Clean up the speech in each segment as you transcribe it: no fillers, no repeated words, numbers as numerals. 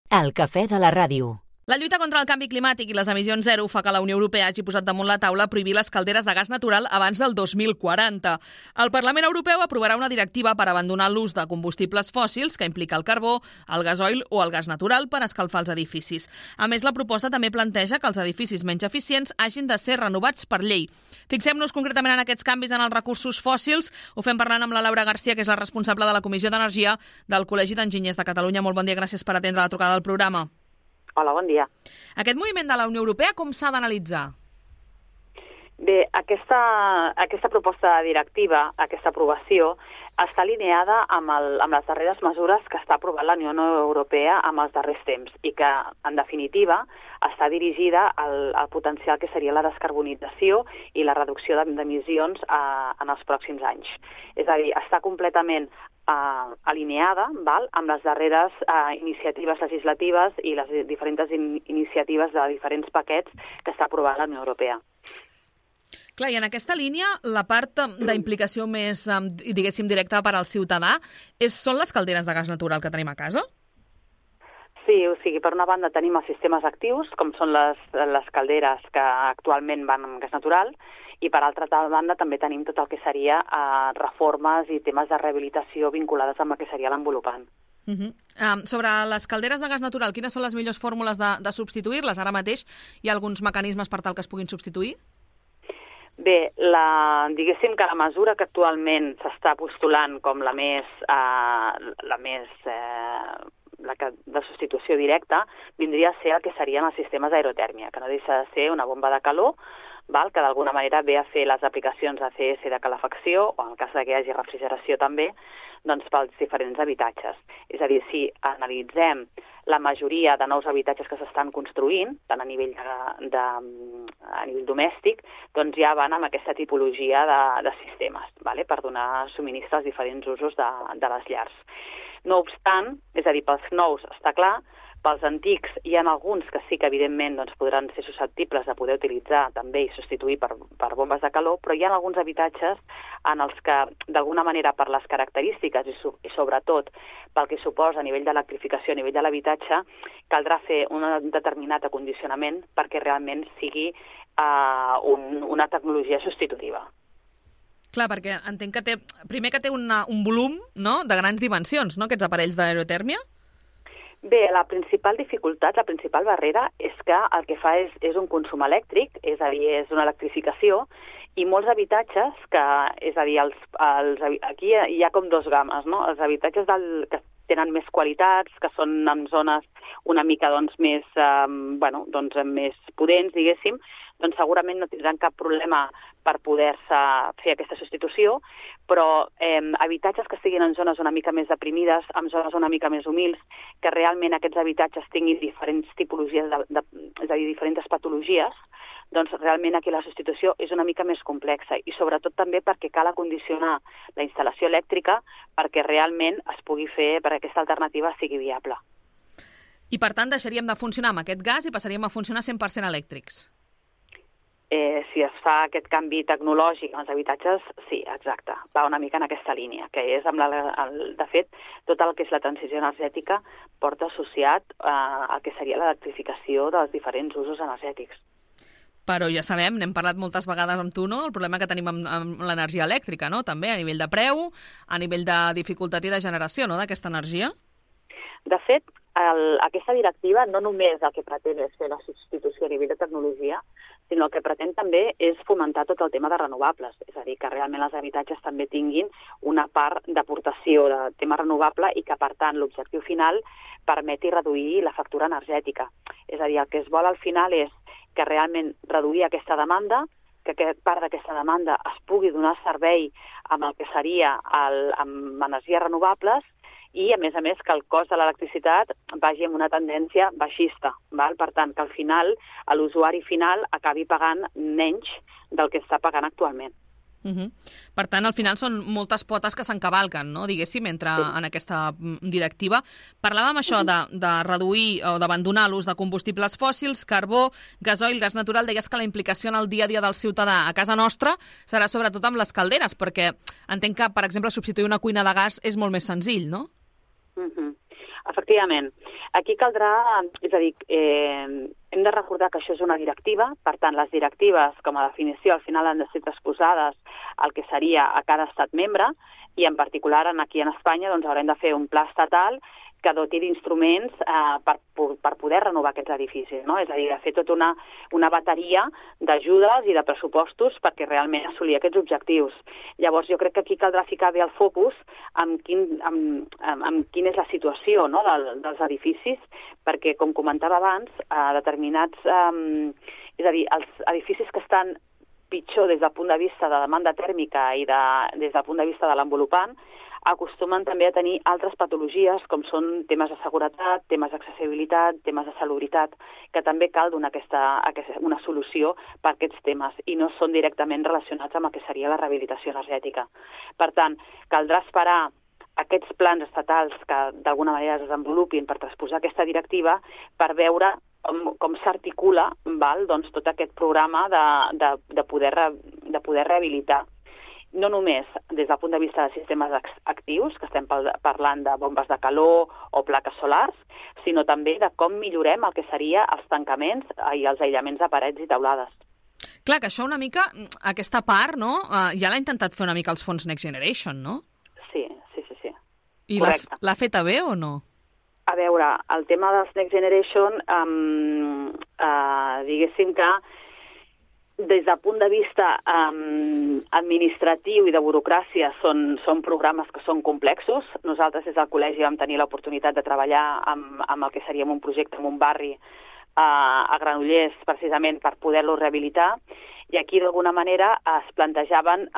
El cafè de la ràdio. La lluita contra el canvi climàtic i les emissions zero fa que la Unió Europea hagi posat damunt la taula prohibir les calderes de gas natural abans del 2040. El Parlament Europeu aprovarà una directiva per abandonar l'ús de combustibles fòssils que implica el carbó, el gasoil o el gas natural per escalfar els edificis. A més, la proposta també planteja que els edificis menys eficients hagin de ser renovats per llei. Fixem-nos concretament en aquests canvis en els recursos fòssils. Ho fem parlant amb la Laura Garcia, que és la responsable de la Comissió d'Energia del Col·legi d'Enginyers de Catalunya. Molt bon dia, gràcies per atendre la trucada del programa. Hola, bon dia. Aquest moviment de la Unió Europea com s'ha d'analitzar? Bé, aquesta proposta directiva, aquesta aprovació, està alineada amb les darreres mesures que està aprovant la Unió Europea en els darrers temps i que, en definitiva, està dirigida al potencial que seria la descarbonització i la reducció d'emissions en els pròxims anys. És a dir, està completament alineada amb les darreres iniciatives legislatives i les diferents iniciatives de diferents paquets que està aprovant la Unió Europea. Clar, i en aquesta línia, la part d'implicació més, diguéssim, directa per al ciutadà són les calderes de gas natural que tenim a casa? Sí, o sigui, per una banda tenim els sistemes actius, com són les calderes que actualment van amb gas natural, i per altra banda també tenim tot el que seria reformes i temes de rehabilitació vinculades amb el que seria l'envolupant. Sobre les calderes de gas natural, quines són les millors fórmules de substituir-les? Ara mateix hi ha alguns mecanismes per tal que es puguin substituir? Bé, diguéssim que la mesura que actualment s'està postulant com la de substitució directa vindria a ser el que serien els sistemes d'aerotèrmia, que no deixa de ser una bomba de calor, que d'alguna manera ve a fer les aplicacions ACS de calefacció, o en el cas que hi hagi refrigeració també, doncs pels diferents habitatges. És a dir, si analitzem la majoria de nous habitatges que s'estan construint, tant a nivell domèstic, doncs ja van amb aquesta tipologia de sistemes, per donar subministre als diferents usos de les llars. No obstant, és a dir, pels nous està clar, pels antics hi ha alguns que sí que evidentment podran ser susceptibles de poder utilitzar també i substituir per bombes de calor, però hi ha alguns habitatges en els que d'alguna manera per les característiques i sobretot pel que suposa a nivell d'electrificació, a nivell de l'habitatge, caldrà fer un determinat acondicionament perquè realment sigui una tecnologia substitutiva. Clar, perquè entenc que té un volum de grans dimensions, no?, aquests aparells d'aerotèrmia? Bé, la principal dificultat, la principal barrera és que el que fa és un consum elèctric, és a dir, és una electrificació, i molts habitatges és a dir, aquí hi ha com dos games, no? Els habitatges que tenen més qualitats, que són en zones una mica més potents, diguéssim, doncs segurament no tindran cap problema per poder-se fer aquesta substitució, però habitatges que estiguin en zones una mica més deprimides, en zones una mica més humils, que realment aquests habitatges tinguin diferents tipologies, és a dir, diferents patologies, doncs realment aquí la substitució és una mica més complexa i sobretot també perquè cal acondicionar la instal·lació elèctrica perquè realment es pugui fer, perquè aquesta alternativa sigui viable. I per tant deixaríem de funcionar amb aquest gas i passaríem a funcionar 100% elèctrics? Si es fa aquest canvi tecnològic en els habitatges, sí, exacte. Va una mica en aquesta línia, que és, de fet, tot el que és la transició energètica porta associat al que seria l'electrificació dels diferents usos energètics. Però ja sabem, n'hem parlat moltes vegades amb tu, no?, el problema que tenim amb l'energia elèctrica, no?, també a nivell de preu, a nivell de dificultat i de generació, no?, d'aquesta energia. De fet, aquesta directiva no només el que pretén és fer la substitució a nivell de tecnologia, sinó el que pretén també és fomentar tot el tema de renovables, és a dir, que realment els habitatges també tinguin una part d'aportació de tema renovable i que, per tant, l'objectiu final permeti reduir la factura energètica. És a dir, el que es vol al final és que realment reduir aquesta demanda, que part d'aquesta demanda es pugui donar servei amb el que seria amb energies renovables i, a més, que el cost de l'electricitat vagi amb una tendència baixista. Per tant, que al final l'usuari final acabi pagant menys del que està pagant actualment. Per tant, al final són moltes potes que s'encavalquen, no?, diguéssim, en aquesta directiva. Parlàvem això de reduir o d'abandonar l'ús de combustibles fòssils, carbó, gasoil, gas natural. Deies que la implicació en el dia a dia del ciutadà a casa nostra serà sobretot amb les calderes, perquè entenc que, per exemple, substituir una cuina de gas és molt més senzill, no? Efectivament. Aquí caldrà, és a dir, hem de recordar que això és una directiva, per tant, les directives, com a definició, al final han de ser transposades al que seria a cada estat membre, i en particular aquí en Espanya doncs, haurem de fer un pla estatal que doti d'instruments per poder renovar aquests edificis, no? És a dir, de fer tota una bateria d'ajudes i de pressupostos perquè realment assolir aquests objectius. Llavors, jo crec que aquí caldrà ficar bé el focus en quina és la situació, no? dels edificis, perquè, com comentava abans, determinats... és a dir, els edificis que estan pitjor des del punt de vista de demanda tèrmica i des del punt de vista de l'envolupant, acostumen també a tenir altres patologies, com són temes de seguretat, temes d'accessibilitat, temes de salubritat, que també cal donar una solució per aquests temes, i no són directament relacionats amb el que seria la rehabilitació energètica. Per tant, caldrà esperar aquests plans estatals que d'alguna manera es desenvolupin per transposar aquesta directiva per veure com s'articula doncs, tot aquest programa de poder rehabilitar. No només des del punt de vista de sistemes actius, que estem parlant de bombes de calor o plaques solars, sinó també de com millorem el que seria els tancaments i els aïllaments de parets i teulades. Clar, que això una mica, aquesta part, no? Ja l'ha intentat fer una mica els fons Next Generation, no? Sí. I l'ha feta bé o no? A veure, el tema dels Next Generation, diguéssim que des del punt de vista administratiu i de burocràcia són programes que són complexos. Nosaltres des del col·legi vam tenir l'oportunitat de treballar amb el que seria un projecte en un barri a Granollers, precisament per poder-lo rehabilitar, i aquí d'alguna manera es plantejaven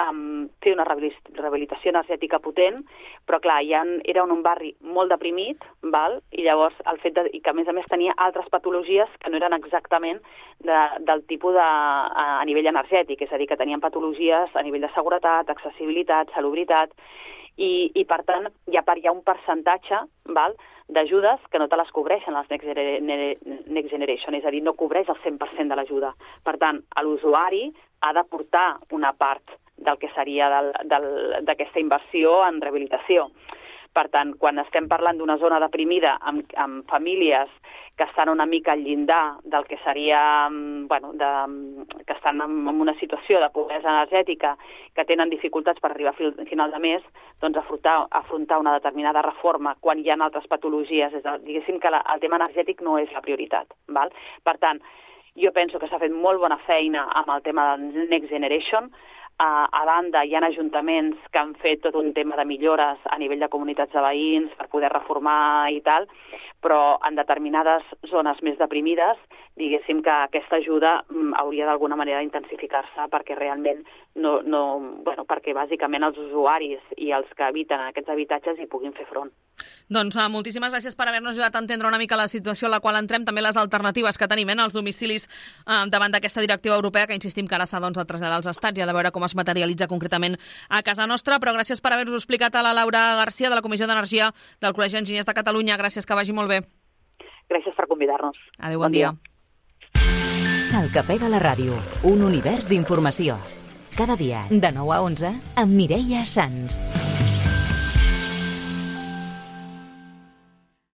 fer una rehabilitació energètica potent, però clar, era un barri molt deprimit, i llavors el fet que a més tenia altres patologies que no eren exactament del tipus a nivell energètic, és a dir, que tenien patologies a nivell de seguretat, accessibilitat, salubritat, i per tant hi ha un percentatge d'ajudes que no te les cobreixen les Next Generation, és a dir, no cobreix el 100% de l'ajuda. Per tant, l'usuari ha d'aportar una part del que seria d'aquesta inversió en rehabilitació. Per tant, quan estem parlant d'una zona deprimida amb famílies que estan una mica al llindar del que seria, que estan en una situació de pobresa energètica, que tenen dificultats per arribar a final de mes, doncs afrontar una determinada reforma quan hi ha altres patologies, diguéssim que el tema energètic no és la prioritat. Per tant, jo penso que s'ha fet molt bona feina amb el tema del Next Generation. A banda, hi ha ajuntaments que han fet tot un tema de millores a nivell de comunitats de veïns per poder reformar i tal, però en determinades zones més deprimides, diguéssim que aquesta ajuda hauria d'alguna manera d'intensificar-se perquè realment perquè bàsicament els usuaris i els que habiten en aquests habitatges hi puguin fer front. Doncs moltíssimes gràcies per haver-nos ajudat a entendre una mica la situació en la qual entrem, també les alternatives que tenim als domicilis davant d'aquesta directiva europea, que insistim que ara s'ha de traslladar als estats i ha de veure com es materialitza concretament a casa nostra, però gràcies per haver-nos explicat a la Laura Garcia de la Comissió d'Energia del Col·legi d'Enginyers de Catalunya. Gràcies, que vagi molt bé. Gràcies per convidar-nos. Adéu, bon dia. El Cafè de la Ràdio, un univers d'informació. Cada dia, de 9 a 11, amb Mireia Sans.